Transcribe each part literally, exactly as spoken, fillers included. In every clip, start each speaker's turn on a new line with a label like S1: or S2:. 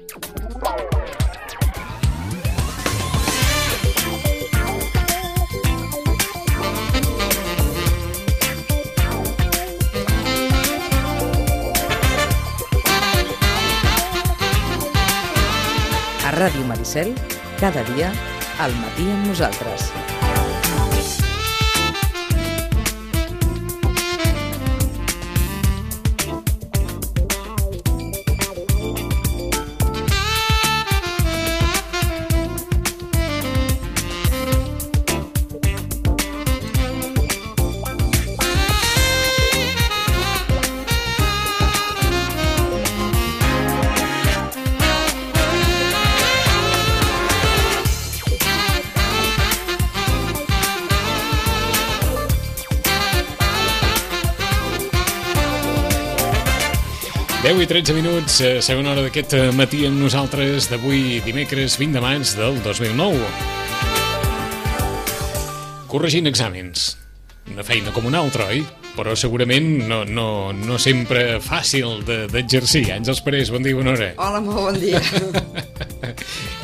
S1: A Ràdio Maricel, cada dia, al matí amb nosaltres.
S2: deu i tretze minuts, segona hora d'aquest matí amb nosaltres d'avui dimecres vint de maig del dos mil nou. Corregint exàmens. Una feina com una altra, oi? Però segurament no, no, no sempre fàcil d'exercir. Àngels Parés, bon dia, bona hora.
S3: Hola, molt bon dia.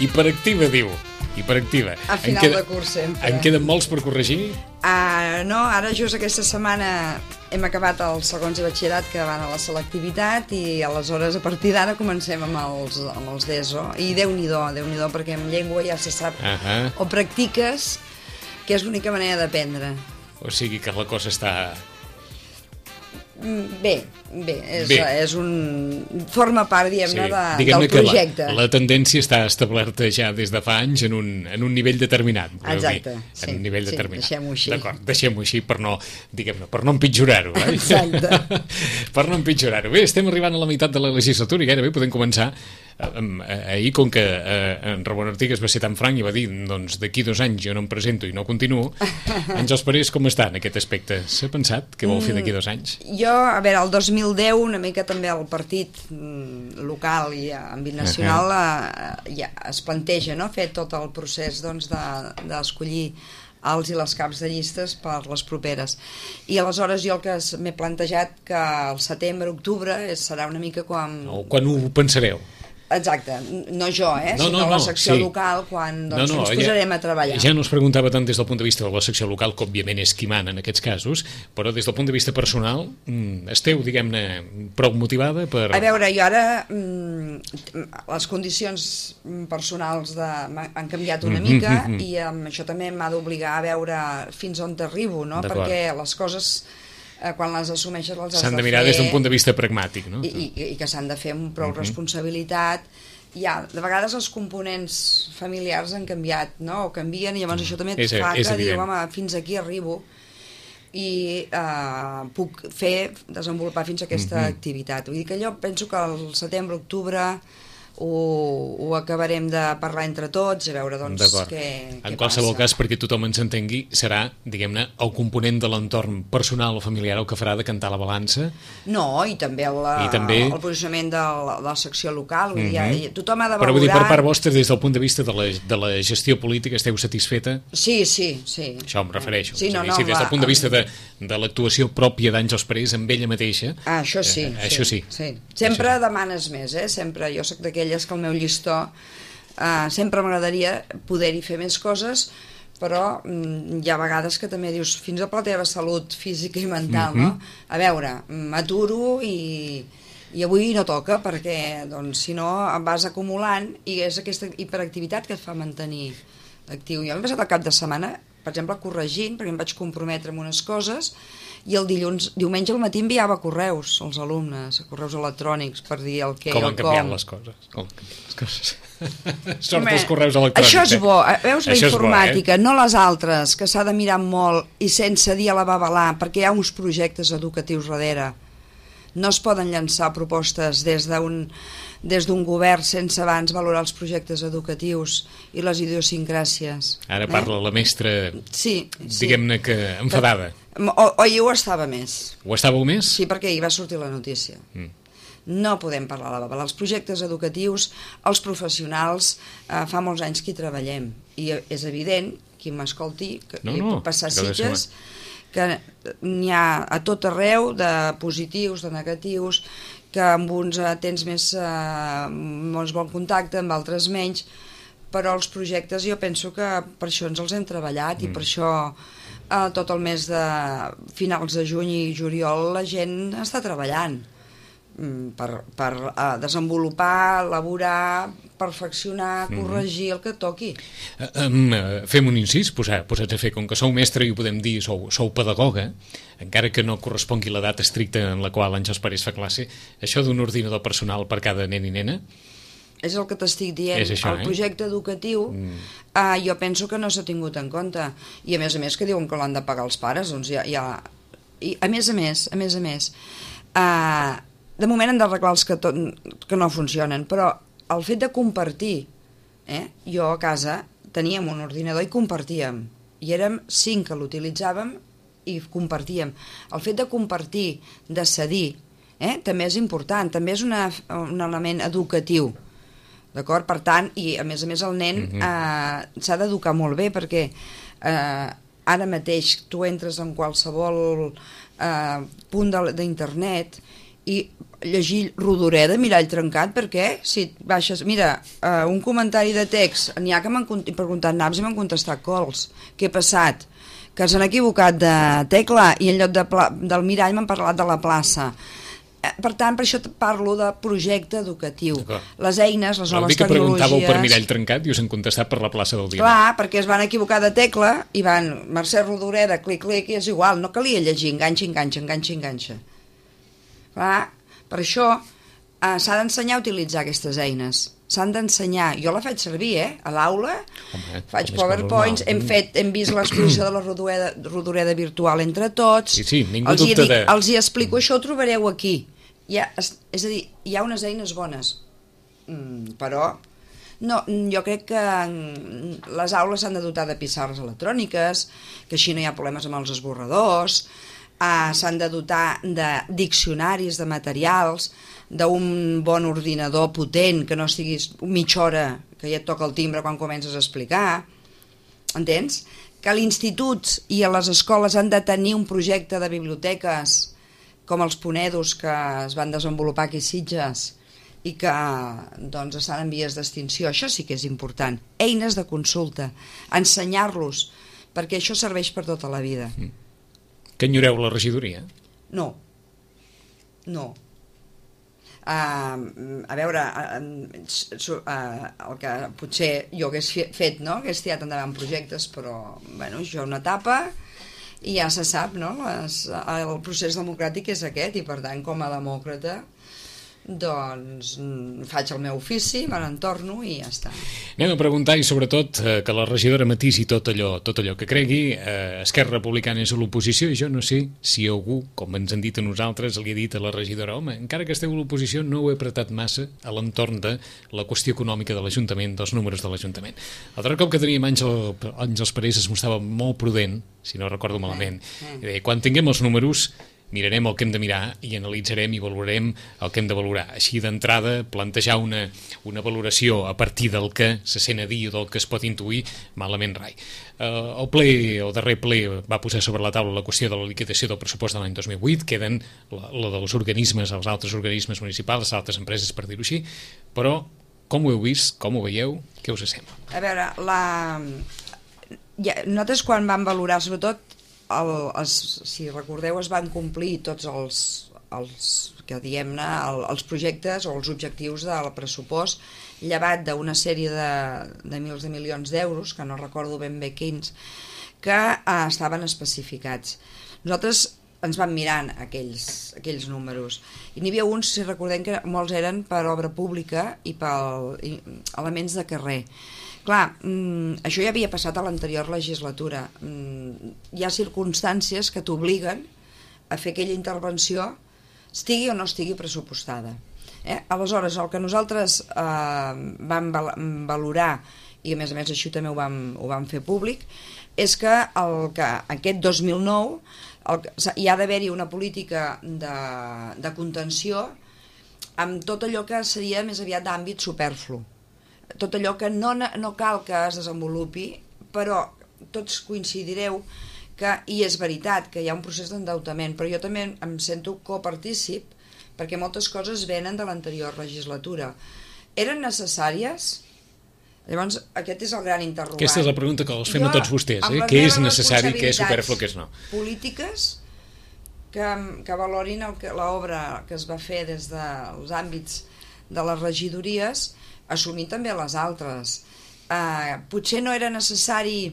S2: Hiperactiva, diu. Hiperactiva.
S3: A final queda, de curs sempre.
S2: En queden molts per corregir?
S3: Uh, no, ara just aquesta setmana hem acabat els segons de batxillerat que van a la selectivitat i aleshores a partir d'ara comencem amb els, amb els d'ESO. I Déu-n'hi-do, Déu-n'hi-do, perquè en llengua ja se sap. Uh -huh. O practiques, que és l'única manera d'aprendre.
S2: O sigui que la cosa està...
S3: Bé, bé, és,
S2: bé.
S3: és un... forma part, diguem-ne, sí. de,
S2: diguem
S3: del projecte.
S2: La, la tendència està establerta ja des de fa anys en un, en un nivell determinat.
S3: Exacte,
S2: dir,
S3: sí,
S2: en un nivell
S3: sí,
S2: determinat.
S3: deixem-ho així.
S2: D'acord, deixem-ho així per no, diguem-ne, per no empitjorar-ho. Eh?
S3: Exacte.
S2: Per no empitjorar-ho. Bé, estem arribant a la meitat de la legislatura i gairebé podem començar. Ahir, com que eh, en Ramon Artigas va ser tan franc i va dir doncs d'aquí dos anys jo no em presento i no continuo, Àngels Parés com està en aquest aspecte? S'ha pensat què vol fer d'aquí dos anys?
S3: Jo, a veure, el dos mil deu una mica també el partit mm, local i àmbit nacional uh -huh. eh, ja es planteja, no?, fer tot el procés doncs, d'escollir de, els i les caps de llistes per les properes. I aleshores jo el que m'he plantejat que al setembre, octubre serà una mica quan...
S2: O quan ho pensareu?
S3: Exacte, no jo, eh?
S2: No, no,
S3: sinó
S2: no,
S3: la secció
S2: sí.
S3: local quan doncs,
S2: no, no,
S3: ens posarem
S2: ja,
S3: a treballar.
S2: Ja no es preguntava tant des del punt de vista de la secció local, que òbviament és qui mana en aquests casos, però des del punt de vista personal esteu, diguem-ne, prou motivada per...
S3: A veure, jo ara mm, les condicions personals de, han canviat una mica mm -hmm. i um, això també m'ha d'obligar a veure fins on t'arribo, no? Perquè les coses... quan les assumeixes les has de fer...
S2: S'han de mirar des d'un punt de vista pragmàtic, no?
S3: I, i, i que s'han de fer amb prou uh -huh. responsabilitat. Ja, de vegades els components familiars han canviat, no? O canvien, i llavors uh -huh. això també et és, fa és que diu, home, fins aquí arribo i eh, puc fer, desenvolupar fins a aquesta uh -huh. activitat. Vull dir que jo penso que al setembre, octubre... Ho, ho acabarem de parlar entre tots, a veure doncs què, què
S2: en qualsevol
S3: passa.
S2: cas, perquè tothom ens entengui, serà, diguem-ne, el component de l'entorn personal o familiar el que farà de cantar la balança?
S3: No, i també el,
S2: I també...
S3: el posicionament de la, de la secció local, vull
S2: mm-hmm.
S3: dir, tothom ha de valorar...
S2: Però vull dir, per part vostra, des del punt de vista de la, de la gestió política, esteu satisfeta?
S3: Sí, sí, sí.
S2: Això em refereixo.
S3: Sí, no,
S2: dir,
S3: no,
S2: sí, des del
S3: va,
S2: punt de vista de, de l'actuació pròpia d'Àngels Parés amb ella mateixa...
S3: Ah, això sí.
S2: Eh, això sí.
S3: sí. Sempre
S2: això sí.
S3: demanes més, eh? Sempre, jo soc d'aquelles que el meu llistó Uh, sempre m'agradaria poder-hi fer més coses, però mm, hi ha vegades que també dius fins a la teva salut física i mental, mm-hmm. no? A veure, m'aturo i, i avui no toca perquè doncs, si no em vas acumulant i és aquesta hiperactivitat que et fa mantenir actiu. Jo m'he passat el cap de setmana, per exemple, corregint, perquè em vaig comprometre amb unes coses i el dilluns, diumenge al matí enviava correus als alumnes, correus electrònics per dir el què
S2: com
S3: o
S2: han
S3: com.
S2: canviat les coses. Com han canviat les coses. Sort dels correus electrònics.
S3: Això és bo, veus, la
S2: això
S3: informàtica,
S2: bo, eh?
S3: no les altres, que s'ha de mirar molt i sense dir a la babalà, perquè hi ha uns projectes educatius darrere. No es poden llançar propostes des d'un des d'un govern sense abans valorar els projectes educatius i les idiosincràsies.
S2: Ara parla eh? la mestra,
S3: sí, sí.
S2: diguem-ne que enfadada.
S3: O, o jo ho estava més.
S2: Ho estàveu més?
S3: Sí, perquè hi va sortir la notícia. Mm. No podem parlar a la babalà. Els projectes educatius, els professionals, eh, fa molts anys que hi treballem. I és evident, qui m'escolti, que
S2: no,
S3: hi
S2: no,
S3: pot passar Sitges, que n'hi ha a tot arreu de positius, de negatius, que amb uns eh, tens més, eh, més bon contacte, amb altres menys, però els projectes jo penso que per això ens els hem treballat mm. i per això eh, tot el mes de finals de juny i juliol la gent està treballant per, per uh, desenvolupar, elaborar, perfeccionar, corregir mm-hmm. el que toqui.
S2: Uh, um, uh, fem un incís, posar, posats a fer, com que sou mestre i ho podem dir, sou, sou pedagoga, encara que no correspongui la data estricta en la qual Àngels Parés fa classe, això d'un ordinador personal per cada nen i nena?
S3: És el que t'estic dient.
S2: això,
S3: el
S2: eh?
S3: projecte educatiu mm. uh, jo penso que no s'ha tingut en compte. I a més a més que diuen que l'han de pagar els pares, doncs ja... ja... I a més a més, a més a més... Uh, de moment hem d'arreglar els que, to que no funcionen, però el fet de compartir, eh? Jo a casa teníem un ordinador i compartíem, i érem cinc que l'utilitzàvem i compartíem. El fet de compartir, de cedir, eh? també és important, també és una, un element educatiu, d'acord? Per tant, i a més a més el nen mm-hmm. eh, s'ha d'educar molt bé, perquè eh, ara mateix tu entres en qualsevol eh, punt d'internet i llegir Rodoreda, Mirall trencat, perquè si baixes, mira, uh, un comentari de text, n'hi ha que m'han preguntat naps i m'han contestat cols. Què ha passat? Que s'han equivocat de tecla i en lloc de del Mirall m'han parlat de la plaça. Per tant, per això parlo de projecte educatiu. Les eines, les noves tecnologies...
S2: que preguntàveu per Mirall trencat i us han contestat per la plaça del dia.
S3: Clar, perquè es van equivocar de tecla i van, Mercè Rodoreda, clic, clic, i és igual, no calia llegir, enganxa, enganxa, enganxa, enganxa. Clar, per això eh, s'ha d'ensenyar a utilitzar aquestes eines. S'han d'ensenyar. Jo la faig servir, eh? A l'aula, faig PowerPoints, hem, fet, hem vist l'exposició de la Rodoreda, Rodoreda virtual entre tots.
S2: Sí, sí, ningú
S3: els
S2: dubta
S3: hi dic,
S2: de...
S3: Els hi explico, això ho trobareu aquí. Hi ha, és, és a dir, hi ha unes eines bones, mm, però no, jo crec que les aules s'han de dotar de pissarres electròniques, que així no hi ha problemes amb els esborradors, Uh, s'han de dotar de diccionaris, de materials, d'un bon ordinador potent, que no estiguis mitja hora que ja et toca el timbre quan comences a explicar, entens? Que a l'institut i a les escoles han de tenir un projecte de biblioteques com els Ponedos que es van desenvolupar aquí a Sitges i que doncs, estan en vies d'extinció. Això sí que és important. Eines de consulta, ensenyar-los, perquè això serveix per tota la vida.
S2: Mm. Que enyoreu la regidoria?
S3: No, no. Uh, a veure, uh, uh, el que potser jo hagués fet, no? Hagués tirat endavant projectes, però bueno, això una etapa i ja se sap, no? Les, el procés democràtic és aquest i per tant com a demòcrata doncs faig el meu ofici, me n'entorno i ja està.
S2: Anem a preguntar i sobretot eh, que la regidora matisi tot allò, tot allò que cregui. eh, Esquerra Republicana és a l'oposició i jo no sé si algú, com ens han dit a nosaltres, li ha dit a la regidora, home, encara que esteu a l'oposició no ho he apretat massa a l'entorn de la qüestió econòmica de l'Ajuntament, dels números de l'Ajuntament. L'altre cop que teníem Àngel, Àngels Parés es mostrava molt prudent, si no recordo malament, i deia, quan tinguem els números mirarem el que hem de mirar i analitzarem i valorarem el que hem de valorar. Així d'entrada, plantejar una, una valoració a partir del que se sent a dir o del que es pot intuir, malament rai. Uh, el ple, el darrer ple va posar sobre la taula la qüestió de la liquidació del pressupost de l'any dos mil vuit, queden la, la dels organismes, els altres organismes municipals, les altres empreses, per dir-ho així, però com ho heu vist, com ho veieu, què us sembla?
S3: A veure, la... ja, nosaltres quan vam valorar, sobretot, El, els, si recordeu, es van complir tots els, els que diem-ne, el, els projectes o els objectius del pressupost, llevat d'una sèrie de, de mils de milions d'euros, que no recordo ben bé quins, que eh, estaven especificats. Nosaltres ens vam mirant aquells, aquells números, i n'hi havia uns, si recordem, que molts eren per obra pública i per i, elements de carrer. Clar, mm, això ja havia passat a l'anterior legislatura. Mm, hi ha circumstàncies que t'obliguen a fer aquella intervenció, estigui o no estigui pressupostada. Eh? Aleshores, el que nosaltres eh, vam val valorar, i a més a més això també ho vam, ho vam fer públic, és que, el que aquest dos mil nou el, hi ha d'haver-hi una política de, de contenció amb tot allò que seria més aviat d'àmbit superflu. Tot allò que no, no cal que es desenvolupi, però tots coincidireu que, i és veritat, que hi ha un procés d'endeutament, però jo també em sento copartícip perquè moltes coses venen de l'anterior legislatura. Eren necessàries? Llavors, aquest és el gran interrogant.
S2: Aquesta és la pregunta que els fem
S3: jo,
S2: a tots vostès, eh? Què és necessari, què és superflu, què és no?
S3: Polítiques que, que valorin l'obra que es va fer des dels àmbits de les regidories, assumir també les altres. Uh, potser no era necessari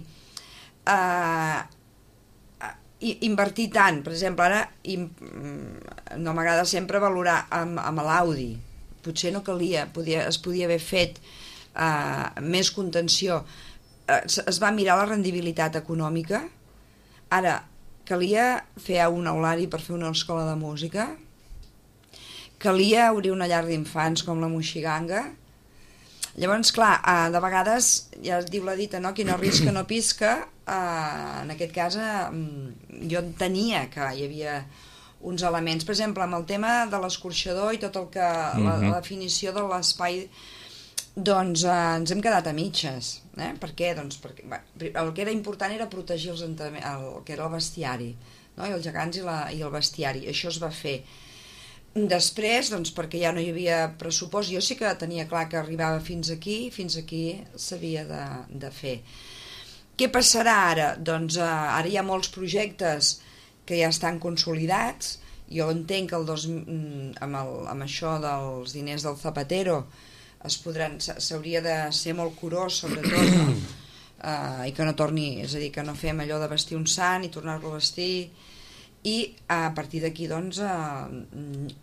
S3: uh, invertir tant. Per exemple, ara im, no m'agrada sempre valorar amb, amb l'Audi. Potser no calia, podia, es podia haver fet Uh, més contenció. Uh, es va mirar la rendibilitat econòmica. Ara, calia fer un aulari per fer una escola de música, calia obrir una llar d'infants com la Moixiganga. Llavors, clar, uh, de vegades ja es diu la dita, no? Qui no arrisca no pisca. Uh, en aquest cas uh, jo entenia que hi havia uns elements, per exemple, amb el tema de l'escorxador i tot el que mm-hmm. la, la definició de l'espai, doncs eh, ens hem quedat a mitges. Eh? Per què? Doncs perquè bé, el que era important era protegir els el que era el bestiari, no? I els gegants i, la, i el bestiari. Això es va fer. Després, doncs, perquè ja no hi havia pressupost, jo sí que tenia clar que arribava fins aquí, fins aquí s'havia de, de fer. Què passarà ara? Doncs eh, ara hi ha molts projectes que ja estan consolidats. Jo entenc que el dos, amb, el, amb això dels diners del Zapatero es podran, s'hauria de ser molt curós, sobretot, no? uh, i que no torni, és a dir, que no fem allò de vestir un sant i tornar-lo a vestir, i a partir d'aquí, doncs, uh,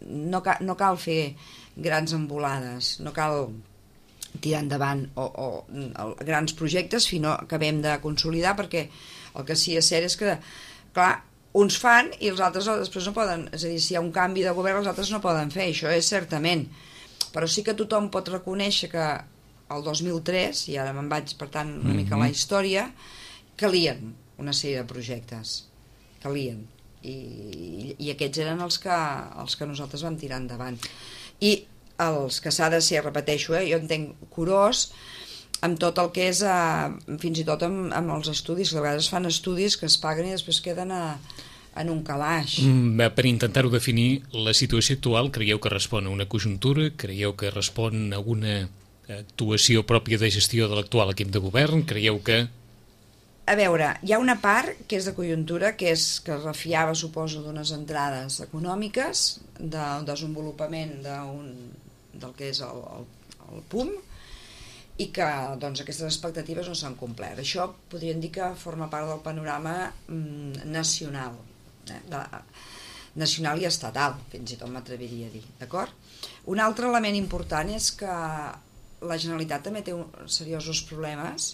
S3: no, ca, no cal fer grans embolades, no cal tirar endavant o, o, o grans projectes fins que acabem de consolidar, perquè el que sí és cert és que, clar, uns fan i els altres després no poden, és a dir, si hi ha un canvi de govern els altres no poden fer, això és certament. Però sí que tothom pot reconèixer que el dos mil tres, i ara me'n vaig per tant una mica a la història, calien una sèrie de projectes, calien, i, i aquests eren els que, els que nosaltres vam tirar endavant. I els que s'ha de ser, repeteixo, eh, jo entenc curós amb tot el que és, eh, fins i tot amb, amb els estudis, que a vegades fan estudis que es paguen i després queden a en un calaix.
S2: Mm, per intentar-ho definir, la situació actual creieu que respon a una conjuntura? Creieu que respon a una actuació pròpia de gestió de l'actual equip de govern? Creieu que...
S3: A veure, hi ha una part que és de conjuntura, que és que es refiava, suposo, d'unes entrades econòmiques, del desenvolupament d'un, del que és el, el, el P U M, i que doncs, aquestes expectatives no s'han complert. Això podríem dir que forma part del panorama mm, nacional, eh, de, nacional i estatal, fins i tot m'atreviria a dir, d'acord? Un altre element important és que la Generalitat també té un, seriosos problemes,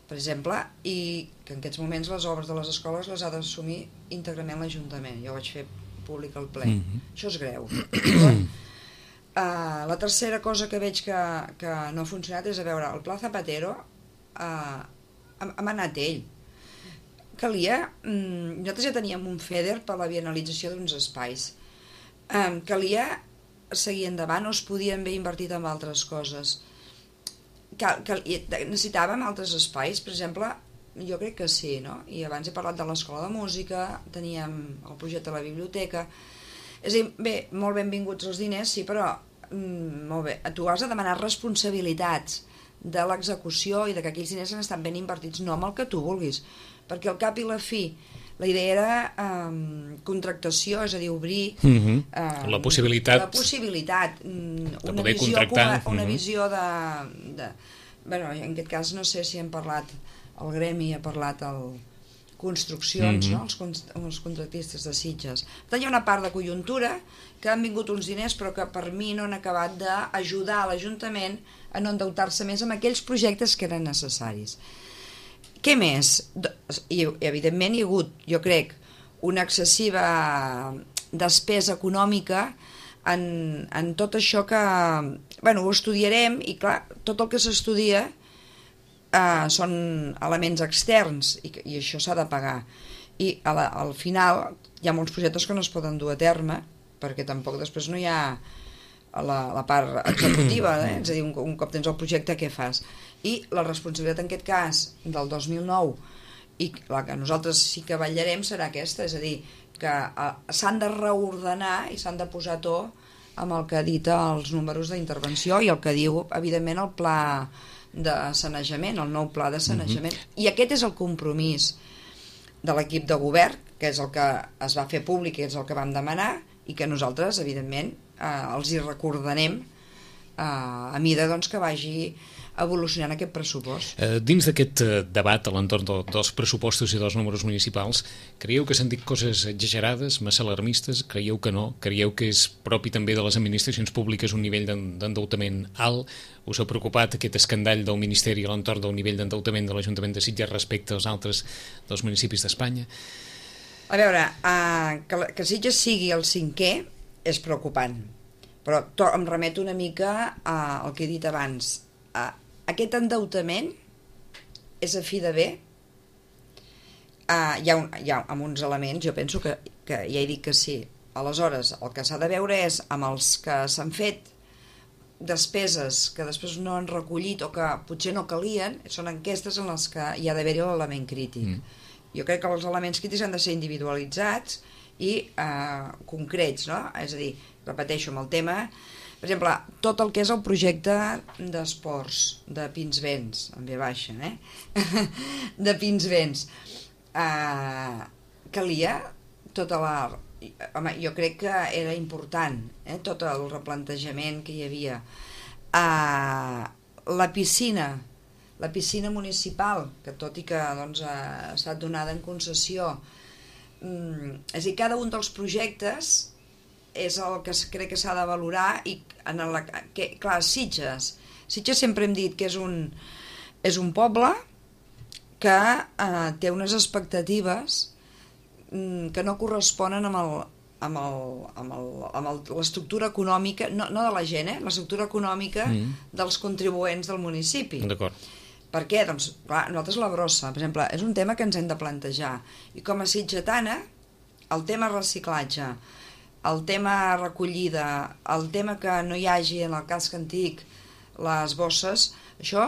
S3: per exemple, i que en aquests moments les obres de les escoles les ha d'assumir íntegrament l'Ajuntament. Jo vaig fer públic al ple. Mm-hmm. Això és greu. Uh, la tercera cosa que veig que, que no ha funcionat és, a veure, el Pla Zapatero uh, hem anat ell. Calia, um, nosaltres ja teníem un FEDER per la bienalització d'uns espais. Um, calia seguir endavant o es podien haver invertit en altres coses. Cal, cal, necessitàvem altres espais, per exemple, jo crec que sí, no? I abans he parlat de l'escola de música, teníem el projecte de la biblioteca. És a dir, bé, molt benvinguts els diners, sí, però mm, molt bé, tu has de demanar responsabilitats de l'execució i de que aquells diners han estat ben invertits, no amb el que tu vulguis, perquè al cap i la fi la idea era um, contractació, és a dir, obrir
S2: mm-hmm.
S3: um,
S2: la possibilitat,
S3: la possibilitat um,
S2: de
S3: una
S2: poder
S3: visió,
S2: contractar
S3: una, una
S2: mm-hmm.
S3: visió de, de... Bueno, en aquest cas no sé si hem parlat, el gremi ha parlat el construccions, mm-hmm. no? els, els contractistes de Sitges. Per tant, hi ha una part de conjuntura que han vingut uns diners però que per mi no han acabat d'ajudar a l'Ajuntament a no endeutar-se més amb aquells projectes que eren necessaris. Què més? I, evidentment hi ha hagut, jo crec, una excessiva despesa econòmica en, en tot això que... Bueno, ho estudiarem i clar, tot el que s'estudia Uh, són elements externs i, i això s'ha de pagar i a la, al final hi ha molts projectes que no es poden dur a terme perquè tampoc després no hi ha la, la part executiva, eh? És a dir, un, un cop tens el projecte què fas? I la responsabilitat en aquest cas del dos mil nou i la que nosaltres sí que vetllarem serà aquesta, és a dir, que uh, s'han de reordenar i s'han de posar a to amb el que edita els números d'intervenció i el que diu, evidentment, el pla de sanejament, el nou pla de sanejament. Mm-hmm. I aquest és el compromís de l'equip de govern, que és el que es va fer públic, que és el que vam demanar, i que nosaltres, evidentment, eh, els hi recordarem eh, a mida doncs, que vagi evolucionant aquest pressupost.
S2: Eh, dins d'aquest eh, debat a l'entorn de, dels pressupostos i dels números municipals, creieu que s'han dit coses exagerades, massa alarmistes? Creieu que no? Creieu que és propi també de les administracions públiques un nivell d'endeutament alt? Us ha preocupat aquest escandall del Ministeri a l'entorn del nivell d'endeutament de l'Ajuntament de Sitges respecte als altres dels municipis d'Espanya?
S3: A veure, eh, que, que Sitges sigui el cinquè és preocupant, però to, em remeto una mica al que he dit abans. Eh, aquest endeutament és a fi de bé. Uh, hi, ha un, hi ha amb uns elements, jo penso que, que ja he dit que sí. Aleshores, el que s'ha de veure és amb els que s'han fet despeses que després no han recollit o que potser no calien, són enquestes en les que hi ha d'haver-hi l'element crític. Mm. Jo crec que els elements crítics han de ser individualitzats i uh, concrets, no? És a dir, repeteixo, amb el tema... Per exemple, tot el que és el projecte d'esports de Pinsbens, en ve baixa, eh? de Pinsbens. Uh, calia tota la... Home, jo crec que era important, eh? Tot el replantejament que hi havia. Uh, la piscina, la piscina municipal, que tot i que doncs, ha estat donada en concessió, um, és a dir, cada un dels projectes és el que crec que s'ha de valorar i en la, que, clar, Sitges Sitges sempre hem dit que és un és un poble que eh, té unes expectatives mm, que no corresponen amb el amb el, amb el, amb l'estructura econòmica, no, no de la gent, eh? L'estructura econòmica mm. dels contribuents del municipi.
S2: D'acord.
S3: Per què? Doncs, clar, nosaltres la brossa, per exemple, és un tema que ens hem de plantejar. I com a sitgetana, el tema reciclatge, el tema recollida, el tema que no hi hagi en el casc antic les bosses, això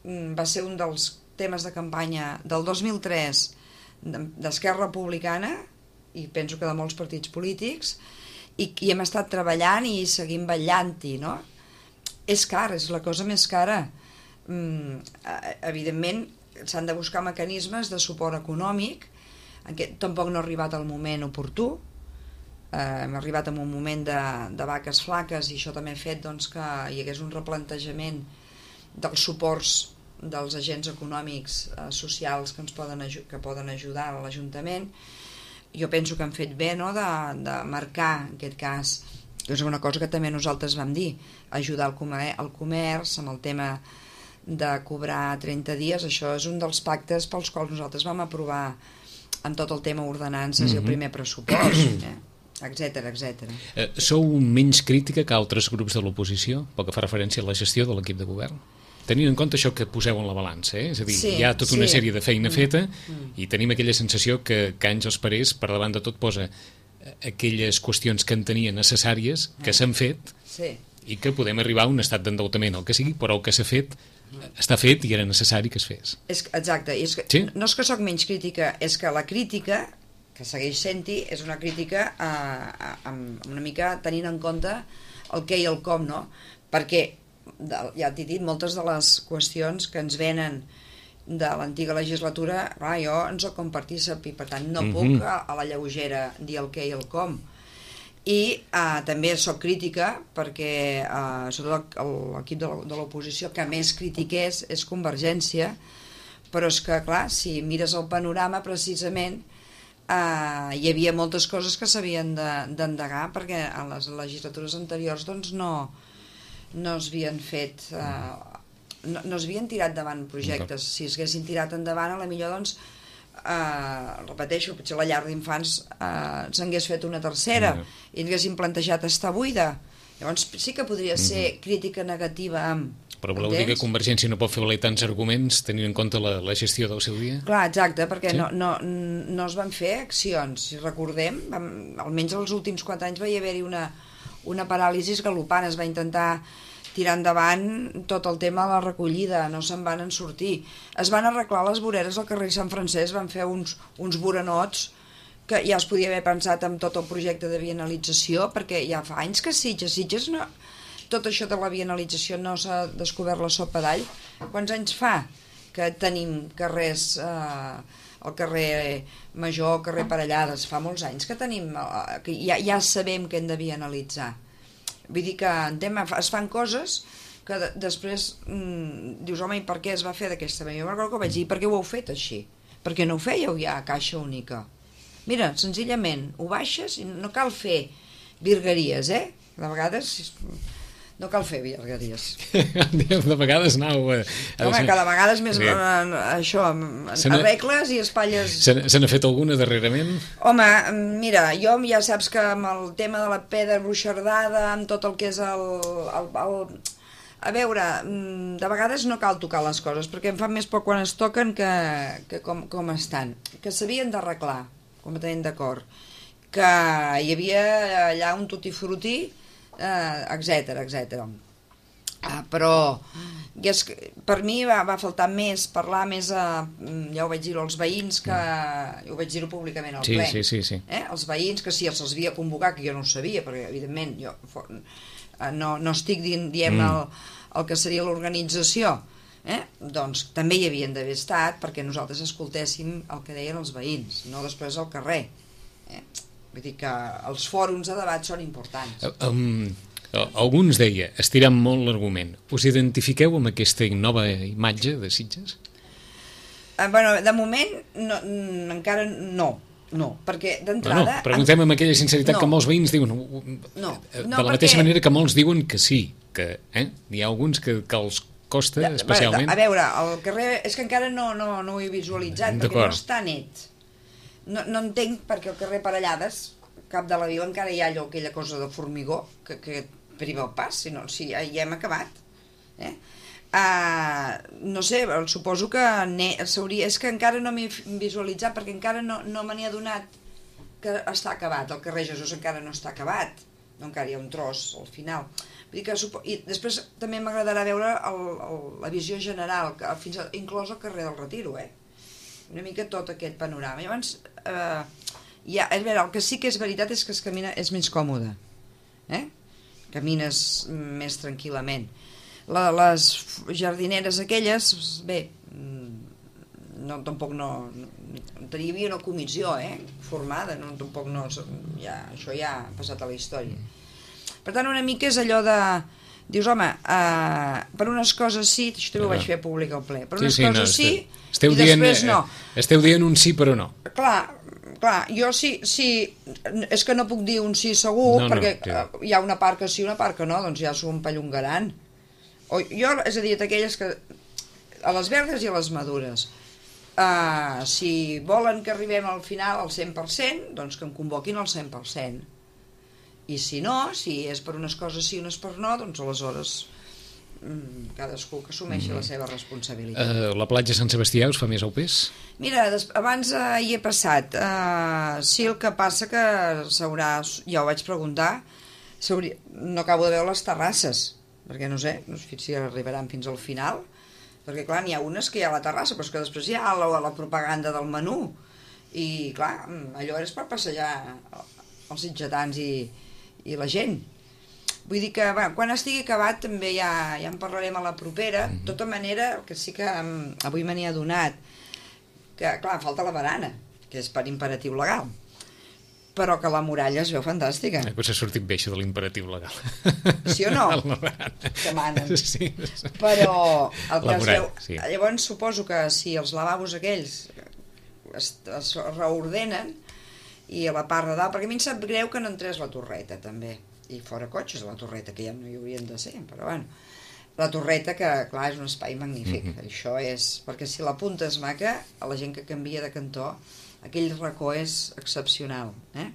S3: va ser un dels temes de campanya del dos mil tres d'Esquerra Republicana i penso que de molts partits polítics i, i hem estat treballant i seguim vetllant-hi, no? És car, és la cosa més cara. Mm, evidentment s'han de buscar mecanismes de suport econòmic, en què tampoc no ha arribat el moment oportú. Eh, hem arribat en un moment de, de vaques flaques i això també ha fet doncs, que hi hagués un replantejament dels suports dels agents econòmics eh, socials que ens poden, que poden ajudar a l'Ajuntament. Jo penso que han fet bé, no?, de, de marcar en aquest cas, és una cosa que també nosaltres vam dir, ajudar el comer, el comerç amb el tema de cobrar trenta dies. Això és un dels pactes pels quals nosaltres vam aprovar amb tot el tema ordenances mm-hmm. i el primer pressupost, eh? etcètera, etcètera.
S2: Eh, sou menys crítica que altres grups de l'oposició pel que fa referència a la gestió de l'equip de govern? Tenint en compte això que poseu en la balança, eh? És a dir, sí, hi ha tota una sí. sèrie de feina mm. feta mm. i tenim aquella sensació que, que Àngels Parés per davant de tot posa aquelles qüestions que entenia necessàries, que s'han fet
S3: sí.
S2: i que podem arribar a un estat d'endeutament, el que sigui, però el que s'ha fet està fet i era necessari que es fes.
S3: És, exacte, és que, sí? no és que sóc menys crítica, és que la crítica que segueix sent-hi és una crítica eh, amb una mica tenint en compte el què i el com, no? Perquè, ja t'he dit, moltes de les qüestions que ens venen de l'antiga legislatura, clar, jo en soc compartícip i per tant no mm-hmm. puc a, a la lleugera dir el què i el com. I eh, també soc crítica perquè eh, sobretot l'equip de l'oposició que més critiqués és Convergència, però és que, clar, si mires el panorama precisament Uh, hi havia moltes coses que s'havien d'endegar de, perquè en les legislatures anteriors doncs no, no es havien fet uh, no, no es havien tirat davant projectes. Si es haguessin tirat endavant, a la millor doncs uh, repeteixo, potser la llar d'infants uh, s'hagués fet una tercera mm. i ens haguessin plantejat estar buida. Llavors sí que podria ser mm-hmm. crítica negativa amb
S2: Però voleu dir que Convergència no pot fer valer tants arguments tenint en compte la, la gestió del seu dia?
S3: Clar, exacte, perquè sí? no, no, no es van fer accions. Si recordem, vam, almenys els últims quatre anys va haver-hi una, una paràlisi galopant. Es va intentar tirar endavant tot el tema de la recollida, no se'n van en sortir. Es van arreglar les voreres al carrer Sant Francesc, van fer uns, uns voranots que ja es podia haver pensat en tot el projecte de bienalització, perquè ja fa anys que Sitges, Sitges no, tot això de la bienalització no s'ha descobert la sopa d'all. Quants anys fa que tenim carrers, eh, el carrer Major, el carrer Parellades, fa molts anys que tenim, eh, que ja, ja sabem que hem de bienalitzar. Vull dir que en tema, es fan coses que de, després mm, dius, home, i per què es va fer d'aquesta manera? Jo recordo que vaig dir, per què ho heu fet així? Per què no ho fèieu ja a caixa única? Mira, senzillament, ho baixes i no cal fer virgueries, eh? De vegades no cal fer virgueries.
S2: De vegades anau... Eh,
S3: home, cada vegada és més... Sí. Eh, això, arregles i espatlles...
S2: Se n'ha fet alguna darrerament?
S3: Home, mira, jo ja saps que amb el tema de la pedra bruixardada, amb tot el que és el... el, el a veure, de vegades no cal tocar les coses, perquè em fan més por quan es toquen que, que com, com estan. Que s'havien d'arreglar, completament d'acord. Que hi havia allà un tutti-frutti, eh, etcètera, etcètera. Ah, però és que, per mi va, va faltar més, parlar més, a, ja ho vaig dir als veïns, que ho vaig dir públicament al
S2: sí,
S3: ple.
S2: Sí, sí, sí.
S3: Eh? Els veïns, que si els havia convocat, que jo no ho sabia, perquè evidentment jo no, no estic dient, diem mm. el, el que seria l'organització, eh? Doncs també hi havien d'haver estat perquè nosaltres escoltéssim el que deien els veïns, no després al carrer. Eh? Vull dir que els fòrums de debat són importants.
S2: Um, alguns deia, estirant molt l'argument, us identifiqueu amb aquesta nova imatge de Sitges?
S3: Uh, bueno, de moment no, encara no. No, perquè d'entrada...
S2: No, no, preguntem amb aquella sinceritat no. que molts veïns diuen...
S3: No,
S2: de
S3: no,
S2: la mateixa perquè... manera que molts diuen que sí, que eh? Hi ha alguns que, que els costa ja, especialment...
S3: A veure, el carrer... És que encara no, no, no ho he visualitzat, perquè no està net. No, no entenc perquè el carrer Parellades, cap de la vila, encara hi ha allò, aquella cosa de formigó que, que priva el pas, si no, si ja, ja hem acabat. Eh? Uh, no sé, suposo que s'hauria, és que encara no m'he visualitzat perquè encara no, no me n'he adonat que està acabat, el carrer Jesús encara no està acabat, no, encara hi ha un tros al final. Vull dir que, i després també m'agradarà veure el, el, la visió general, que fins a, inclòs el carrer del Retiro, eh? Una mica tot aquest panorama. I llavors, eh, ja, és veure, el que sí que és veritat és que es camina, és més còmode, eh? Camines més tranquil·lament. La, les jardineres aquelles, bé, no, tampoc no, no hi havia una comissió, eh, formada, no, tampoc no, ja, això ja ha passat a la història. Per tant, una mica és allò de, dius, home, uh, per unes coses sí, això també ho vaig fer públic al ple, per unes sí, sí, coses no, sí,
S2: esteu
S3: i
S2: dient,
S3: després no.
S2: Esteu dient un sí però no.
S3: Clar, clar, jo sí, sí, és que no puc dir un sí segur, no, perquè no, uh, hi ha una part que sí, una part que no, doncs ja s'ho empallongaran. O jo, és a dir, aquelles que a les verdes i a les madures, uh, si volen que arribem al final al cent per cent, doncs que em convoquin al cent per cent, i si no, si és per unes coses sí, unes per no, doncs aleshores mm, cadascú que assumeixi mm. la seva responsabilitat.
S2: Uh, la platja Sant Sebastià us fa més au pes?
S3: Mira, des, abans uh, hi he passat, uh, sí, el que passa que s'haurà, ja ho vaig preguntar, no acabo de veure les terrasses, perquè no sé, no sé si arribaran fins al final, perquè clar, n'hi ha unes que hi ha a la terrassa, però és que després hi ha la, la propaganda del menú, i clar, allò és per passejar els sitgetans i, i la gent. Vull dir que va, quan estigui acabat també ja, ja en parlarem a la propera. De tota manera, el que sí que um, avui me n'he adonat, que clar, falta la barana, que és per imperatiu legal, però que la muralla es veu fantàstica.
S2: Eh, potser ha sortit bé això de l'imperatiu legal.
S3: Sí o no? Que manen.
S2: Sí.
S3: Però el que es veu...
S2: Sí.
S3: Llavors suposo que si els lavabos aquells es, es reordenen i a la part de dalt, perquè a mi em sap greu que no entrés la torreta també, i fora cotxes la torreta, que ja no hi haurien de ser, però bueno, la torreta que clar és un espai magnífic. Mm-hmm. Això és, perquè si la punta és maca, a la gent que canvia de cantó aquell racó és excepcional, eh?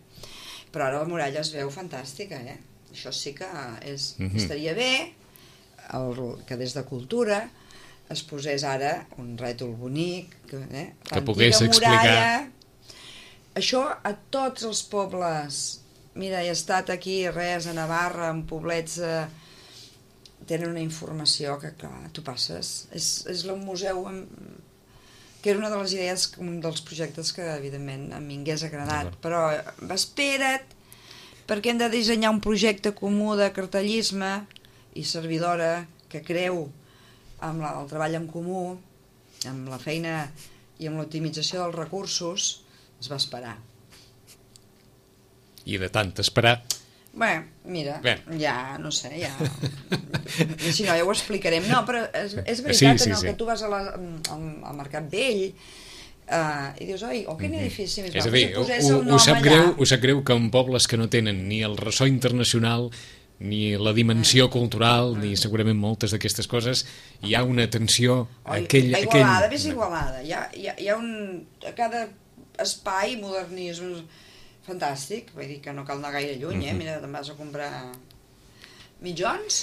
S3: Però ara la muralla es veu fantàstica, eh? Això sí que és, mm-hmm. estaria bé el, que des de Cultura es posés ara un rètol bonic, que, eh?
S2: que pogués explicar.
S3: Això a tots els pobles, mira, he estat aquí, res, a Navarra, en poblets, eh, tenen una informació que, clar, tu passes, és, és un museu amb, que era una de les idees, un dels projectes que evidentment a mi m'hagués agradat, però espera't, perquè hem de dissenyar un projecte comú de cartellisme i servidora que creu amb la, el treball en comú, amb la feina i amb l'optimització dels recursos. Es va esperar.
S2: I de tant esperar...
S3: Bé, mira,
S2: Bé.
S3: ja, no sé, ja... Si no, ja ho explicarem. No, però és, és veritat,
S2: Sí, sí,
S3: en el
S2: sí.
S3: que tu vas a la, al, al Mercat Vell uh, i dius, oi, oh, quin edifici més
S2: És a
S3: guapo,
S2: dir,
S3: si posés
S2: ho,
S3: el
S2: ho,
S3: nom
S2: sap
S3: allà.
S2: greu, ho sap greu que en pobles que no tenen ni el ressò internacional ni la dimensió cultural, ni segurament moltes d'aquestes coses, hi ha una tensió a
S3: Oi,
S2: aquell...
S3: a Igualada,
S2: aquell...
S3: ves Igualada. Hi ha, hi, ha, hi ha un... A cada espai modernisme fantàstic, vull dir que no cal anar gaire lluny, eh? Mira, te'n vas a comprar mitjons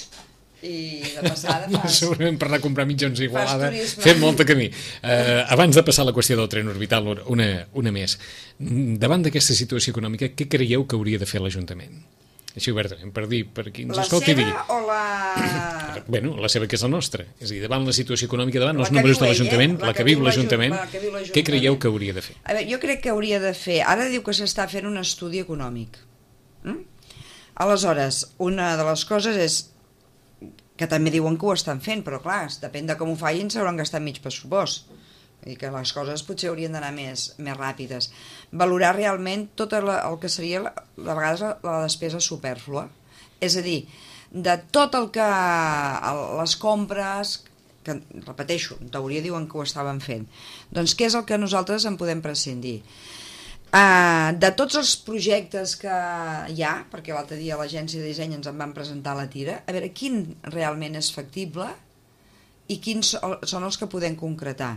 S3: i de passada fas...
S2: Segurament per anar a comprar mitjons a Igualada
S3: turisme.
S2: fem molt de camí. Uh, abans de passar a la qüestió del tren orbital, una, una més. Davant d'aquesta situació econòmica, què creieu que hauria de fer l'Ajuntament? Així obertament, per dir, per qui ens
S3: La
S2: escolti
S3: seva
S2: digui.
S3: o la...
S2: Bueno, la seva que és la nostra. És a dir, davant la situació econòmica, davant
S3: La
S2: els
S3: que
S2: números
S3: viu
S2: de
S3: ell,
S2: l'Ajuntament,
S3: eh?
S2: la que viu l'Ajuntament,
S3: la que viu l'Ajuntament.
S2: què creieu que hauria de fer?
S3: A veure, jo crec que hauria de fer... Ara diu que s'està fent un estudi econòmic. Mm? Aleshores, una de les coses és que també diuen que ho estan fent, però clar, depèn de com ho facin, s'hauran gastat mig pressupost. Vull dir que les coses potser haurien d'anar més, més ràpides. Valorar realment tot el, el que seria, la, de vegades, la, la despesa supèrflua. És a dir, de tot el que... El, les compres, que, repeteixo, en teoria diuen que ho estaven fent, doncs què és el que nosaltres en podem prescindir? Uh, de tots els projectes que hi ha, perquè l'altre dia l'agència de disseny ens en van presentar la tira, a veure quin realment és factible i quins són els que podem concretar.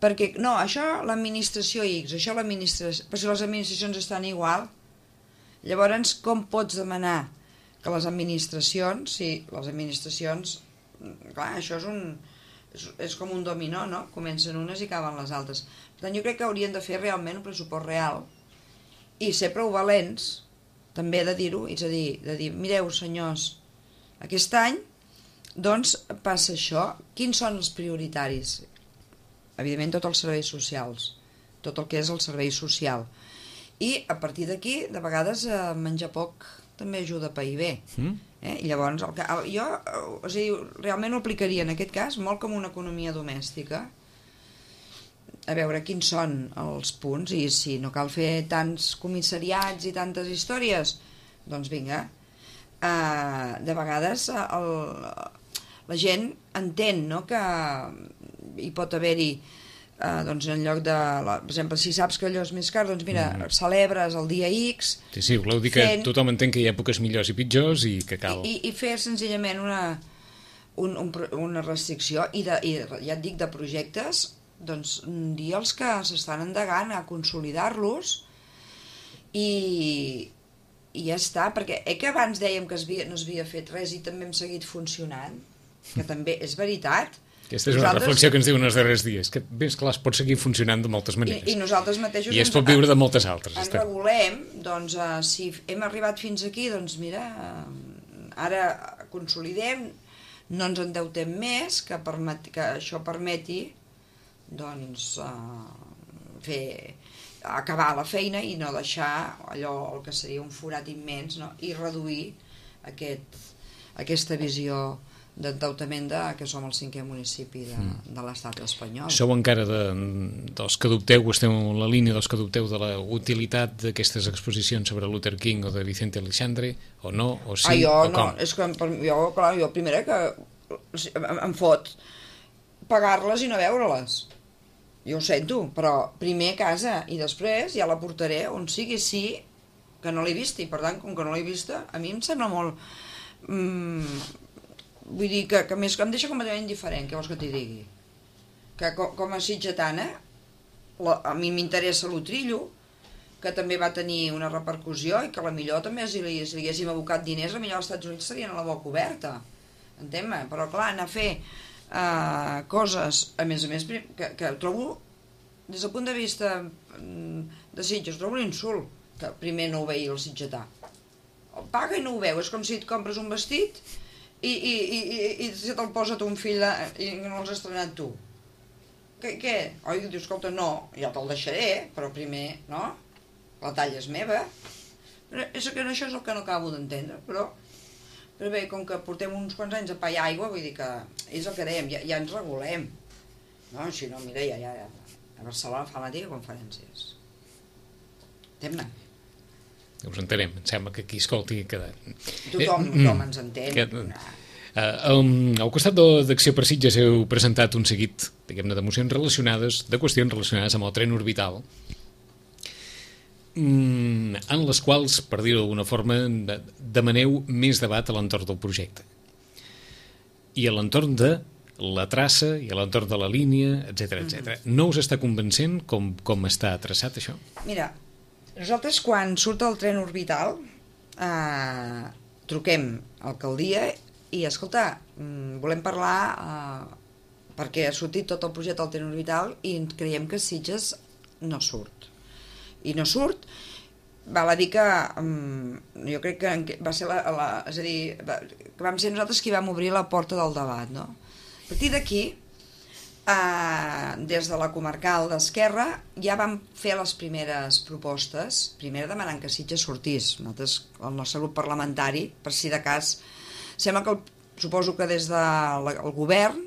S3: Perquè, no, això l'administració X, això l'administració... Però si les administracions estan igual, llavors com pots demanar que les administracions, sí, les administracions, clar, això és un... És, és com un dominó, no? Comencen unes i acaben les altres. Per tant, jo crec que haurien de fer realment un pressupost real i ser prou valents, també de dir-ho, és a dir, de dir, mireu, senyors, aquest any, doncs, passa això. Quins són els prioritaris? Evidentment, tots els serveis socials, tot el que és el servei social. I, a partir d'aquí, de vegades, eh, menjar poc també ajuda a pair bé. Mm? Eh? I llavors, el que, el, jo o sigui, realment ho aplicaria en aquest cas molt com una economia domèstica, a veure quins són els punts, i si no cal fer tants comissariats i tantes històries, doncs vinga. Uh, de vegades el, la gent entén, no?, que hi pot haver-hi Uh, doncs en lloc de, la, per exemple, si saps que allò és més car, doncs mira, mm. celebres el dia X.
S2: Sí, sí, voleu dir que
S3: fent...
S2: tothom entén que hi ha èpoques millors i pitjors i que cal...
S3: I, i, i fer senzillament una, un, un, una restricció, i, de, i ja et dic, de projectes, doncs dir els que s'estan endegant a consolidar-los i, i ja està, perquè eh, que abans dèiem que es havia, no s'havia fet res i també hem seguit funcionant, que també és veritat.
S2: Aquesta és una nosaltres... reflexió que ens diuen els darrers dies, que bé, esclar, es pot seguir funcionant de moltes maneres.
S3: I, i nosaltres mateixos...
S2: I es pot viure de moltes altres.
S3: Ens
S2: està.
S3: regulem, doncs, uh, si hem arribat fins aquí, doncs mira, uh, ara consolidem, no ens endeutem més, que, permet, que això permeti, doncs, uh, fer, acabar la feina i no deixar allò, el que seria un forat immens, no?, i reduir aquest, aquesta visió d'endeutament de, que som el cinquè municipi de, mm. de l'estat espanyol.
S2: Sou encara de, dels que dubteu, esteu en la línia dels que dubteu de la utilitat d'aquestes exposicions sobre Luther King o de Vicente Aleixandre, o no, o sí,
S3: ah, jo,
S2: o com?
S3: No, és que per, jo, clar, jo primera que em, em fot pagar-les i no veure-les. Jo ho sento, però primer a casa i després ja la portaré on sigui, sí, que no l'he vista, i per tant, com que no l'he vista, a mi em sembla molt... Mm, vull dir que, que més, em deixa completament indiferent, què vols que t'hi digui? Que com, com a sitgetana, la, a mi m'interessa l'Utrillo, que també va tenir una repercussió i que la millor també, si li, si li haguéssim abocat diners, la millor als Estats Units serien a la boca oberta, entén-me? Però clar, anar a fer uh, coses, a més a més, que, que trobo, des del punt de vista de Sitges, trobo un insult, que primer no ho veia el sitgetà. El paga i no ho veu, és com si et compres un vestit i, i, i, i, i se te'l posa tu un fill de, i no l'has estrenat tu. què? què? Oi, diu, escolta, no, ja te'l deixaré, però primer, no? La talla és meva. Però és que això és el que no acabo d'entendre, però... Però bé, com que portem uns quants anys a pa i aigua, vull dir que és el que dèiem, ja, ja ens regulem. No, si no, mira, ja, ja, ja. A Barcelona fa matí conferències. Anem-ne.
S2: Us entenem, em sembla que aquí escolti... Que...
S3: Tothom, eh, tothom ens entén. Que...
S2: Uh, um, al costat d'Acció per Sitges heu presentat un seguit, diguem-ne, d'emocions relacionades, de qüestions relacionades amb el tren orbital, mm, en les quals, per dir-ho d'alguna forma, demaneu més debat a l'entorn del projecte. I a l'entorn de la traça, i a l'entorn de la línia, etcètera, etcètera. Mm-hmm. No us està convencent com, com està traçat això?
S3: Mira, nosaltres quan surt el tren orbital eh, truquem a l'alcaldia i, escolta, volem parlar eh, perquè ha sortit tot el projecte del tren orbital i creiem que Sitges no surt. I no surt, val a dir que um, jo crec que va ser la, la, és a dir, va, que vam ser nosaltres qui vam obrir la porta del debat, no? A partir d'aquí, eh, des de la comarcal d'Esquerra, ja vam fer les primeres propostes, primer demanant que Sitges sortís. Nosaltres, el nostre grup parlamentari, per si de cas, sembla que el, suposo que des del de govern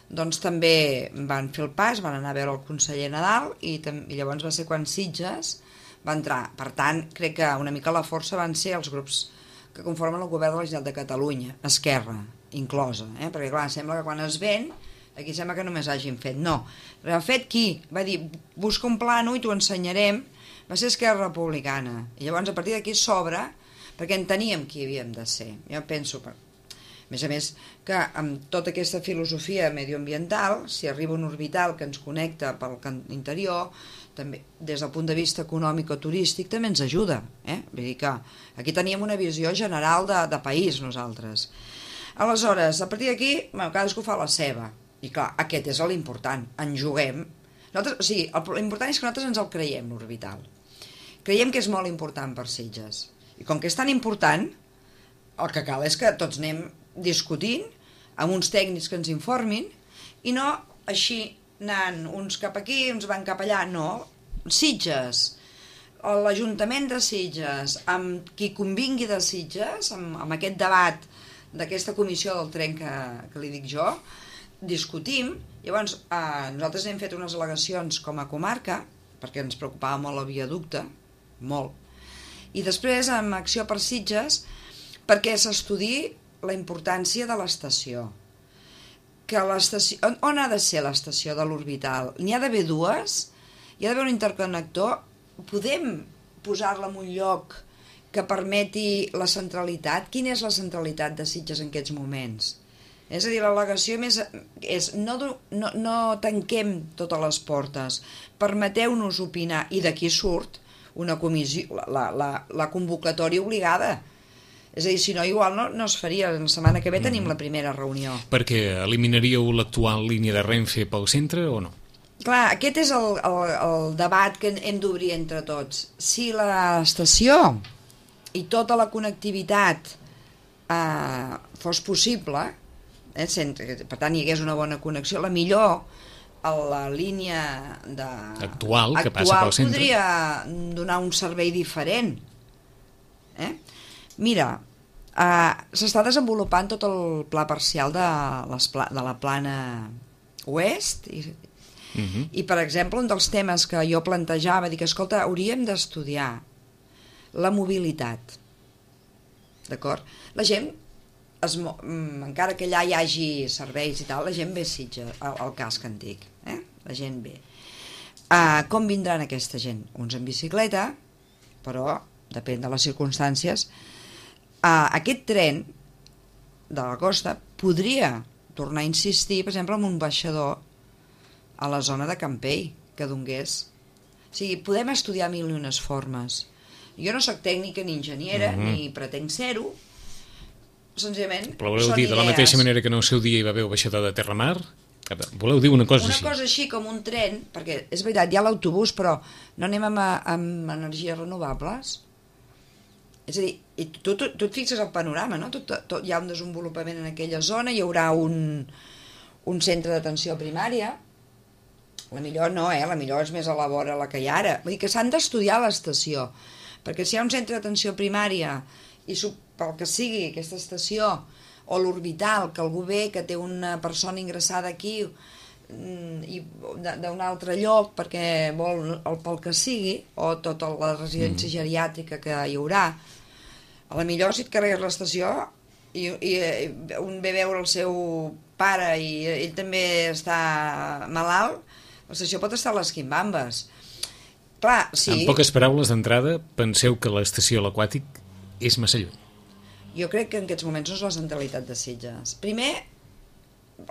S3: doncs també van fer el pas, van anar a veure el conseller Nadal i, i llavors va ser quan Sitges va entrar. Per tant, crec que una mica la força van ser els grups que conformen el govern de la Generalitat de Catalunya, Esquerra inclosa, eh? Perquè clar, sembla que quan es ven aquí sembla que només hagin fet, no, el fet qui va dir busca un plano i t'ho ensenyarem va ser Esquerra Republicana i llavors a partir d'aquí s'obre perquè enteníem qui havíem de ser. Jo penso que a més a més que amb tota aquesta filosofia medioambiental, si arriba un orbital que ens connecta pel interior, també des del punt de vista econòmic o turístic també ens ajuda, eh? Vull dir que aquí teníem una visió general de, de país nosaltres. Aleshores, a partir d'aquí, bueno, cadascú fa la seva, i clar, aquest és l'important, en juguem. Nosaltres, o sigui, l'important és que nosaltres ens el creiem, l'orbital. Creiem que és molt important per Sitges. I com que és tan important, el que cal és que tots anem discutint amb uns tècnics que ens informin i no així anant uns cap aquí, uns van cap allà, no. Sitges, l'Ajuntament de Sitges, amb qui convingui de Sitges, amb, amb aquest debat d'aquesta comissió del tren que, que li dic jo, discutim. Llavors, eh, nosaltres hem fet unes al·legacions com a comarca, perquè ens preocupava molt el viaducte, molt, i després amb Acció per Sitges, perquè s'estudi la importància de l'estació. Que l'estació, on, on ha de ser l'estació de l'orbital? N'hi ha d'haver dues, hi ha d'haver un interconnector, podem posar-la en un lloc que permeti la centralitat? Quina és la centralitat de Sitges en aquests moments? És a dir, l'al·legació més és no, no, no tanquem totes les portes, permeteu-nos opinar, i d'aquí surt una comissió, la, la, la convocatòria obligada. És a dir, si no, igual no, no es faria. La setmana que ve tenim mm. la primera reunió.
S2: Perquè eliminaríeu l'actual línia de Renfe pel centre o no?
S3: Clar, aquest és el, el, el debat que hem d'obrir entre tots. Si l'estació i tota la connectivitat eh, fos possible, eh, sense, per tant hi hagués una bona connexió, la millor a la línia de...
S2: actual, que
S3: actual
S2: passa pel centre
S3: podria donar un servei diferent. Eh? Mira, uh, s'està desenvolupant tot el pla parcial de, les pla, de la plana oest i, uh-huh. i, per exemple, un dels temes que jo plantejava, dic, escolta, hauríem d'estudiar la mobilitat, d'acord? La gent, es, encara que allà hi hagi serveis i tal, la gent ve a Sitges, al, al casc antic, eh? La gent ve. Uh, com vindran aquesta gent? Uns en bicicleta, però depèn de les circumstàncies. Uh, aquest tren de la costa podria tornar a insistir, per exemple, en un baixador a la zona de Campell, que donés. O sigui, podem estudiar mil i unes formes. Jo no sóc tècnica ni enginyera, mm-hmm. ni pretenc ser-ho, senzillament
S2: però voleu
S3: són
S2: dir,
S3: idees.
S2: De la mateixa manera que no el seu dia hi va haver el baixador de Terramar, voleu dir una cosa
S3: una
S2: així?
S3: Una cosa així com un tren, perquè és veritat, hi ha l'autobús, però no anem amb, amb energies renovables. És a dir, i tu, tu, tu et fixes el panorama, no? Tot, tot, hi ha un desenvolupament en aquella zona, hi haurà un, un centre d'atenció primària, la millor no, eh? La millor és més a la vora la que hi ha ara. Vull dir que s'han d'estudiar l'estació, perquè si hi ha un centre d'atenció primària i pel que sigui aquesta estació, o l'orbital, que algú ve, que té una persona ingressada aquí i d'un altre lloc perquè vol el pel que sigui, o tota la residència mm. geriàtrica que hi haurà, a la millor si et carregues l'estació i, i un ve a veure el seu pare i ell també està malalt, l'estació pot estar a les quimbambes. Clar, sí.
S2: En poques paraules d'entrada, penseu que l'estació a l'Aquàtic és massa lluny.
S3: Jo crec que en aquests moments no és la centralitat de Sitges. Primer,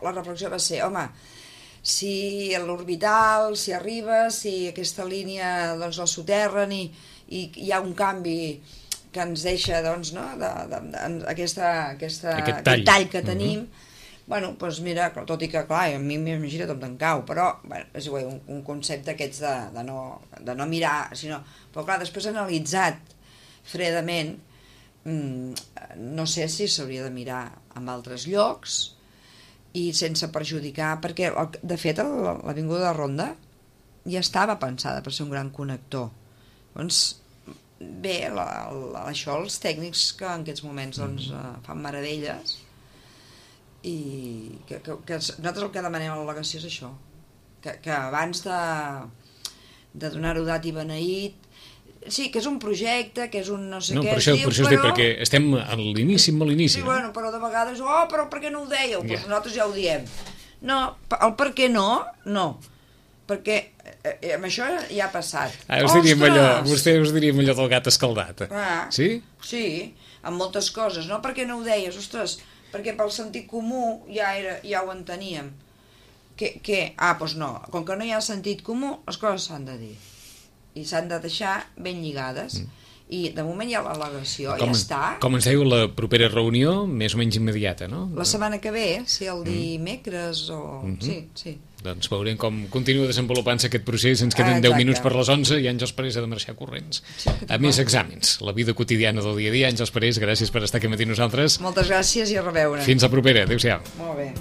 S3: la reflexió va ser, home, si l'orbital, si arriba, si aquesta línia doncs, la soterren i, i hi ha un canvi que ens deixa doncs, no, de, de, de, aquesta, aquesta,
S2: aquest, tall.
S3: aquest tall que tenim, uh-huh. bueno, doncs mira, tot i que clar, a mi m'imagina tot en cau, però bueno, és igual, un, un concepte aquests de, de, no, de no mirar, sinó, però clar, després analitzat fredament, no sé si s'hauria de mirar en altres llocs i sense perjudicar, perquè de fet l'avinguda de Ronda ja estava pensada per ser un gran connector. Doncs bé, la, la, això els tècnics que en aquests moments doncs, fan meravelles i que, que, que nosaltres el que demanem a l'al·legació és això, que, que abans de, de donar-ho dat i beneït, sí, que és un projecte, que és un no sé
S2: no,
S3: què
S2: per això,
S3: es diu,
S2: per això
S3: però...
S2: Dic, perquè estem a l'inici, a l'inici.
S3: Sí,
S2: no?
S3: bueno, però de vegades, oh, però per què no ho dèieu? Yeah. Pues nosaltres ja ho diem. No, el per què no, no. Perquè eh, amb això ja ha passat.
S2: Ah, us diríem allò, vostè us diríem allò del gat escaldat.
S3: Ah,
S2: sí?
S3: Sí, amb moltes coses. No, per què no ho deies? Ostres, perquè pel sentit comú ja, era, ja ho enteníem. Que, que, ah, doncs no, com que no hi ha sentit comú, les coses s'han de dir. I s'han de deixar ben lligades. Mm. I de moment hi ha l'al·legació, ja està.
S2: Com ens dèieu, la propera reunió, més o menys immediata, no?
S3: La setmana que ve, si el dimecres o... Mm-hmm. Sí, sí.
S2: Doncs veurem com continua desenvolupant-se aquest procés. Ens queden ah, deu minuts per les onze i Àngels Parés ha de marxar corrents. Sí, a més exàmens, la vida quotidiana del dia a dia. Àngels Parés, gràcies per estar aquí amb nosaltres.
S3: Moltes gràcies i a reveure.
S2: Fins la propera, adéu-siau.
S3: Molt bé.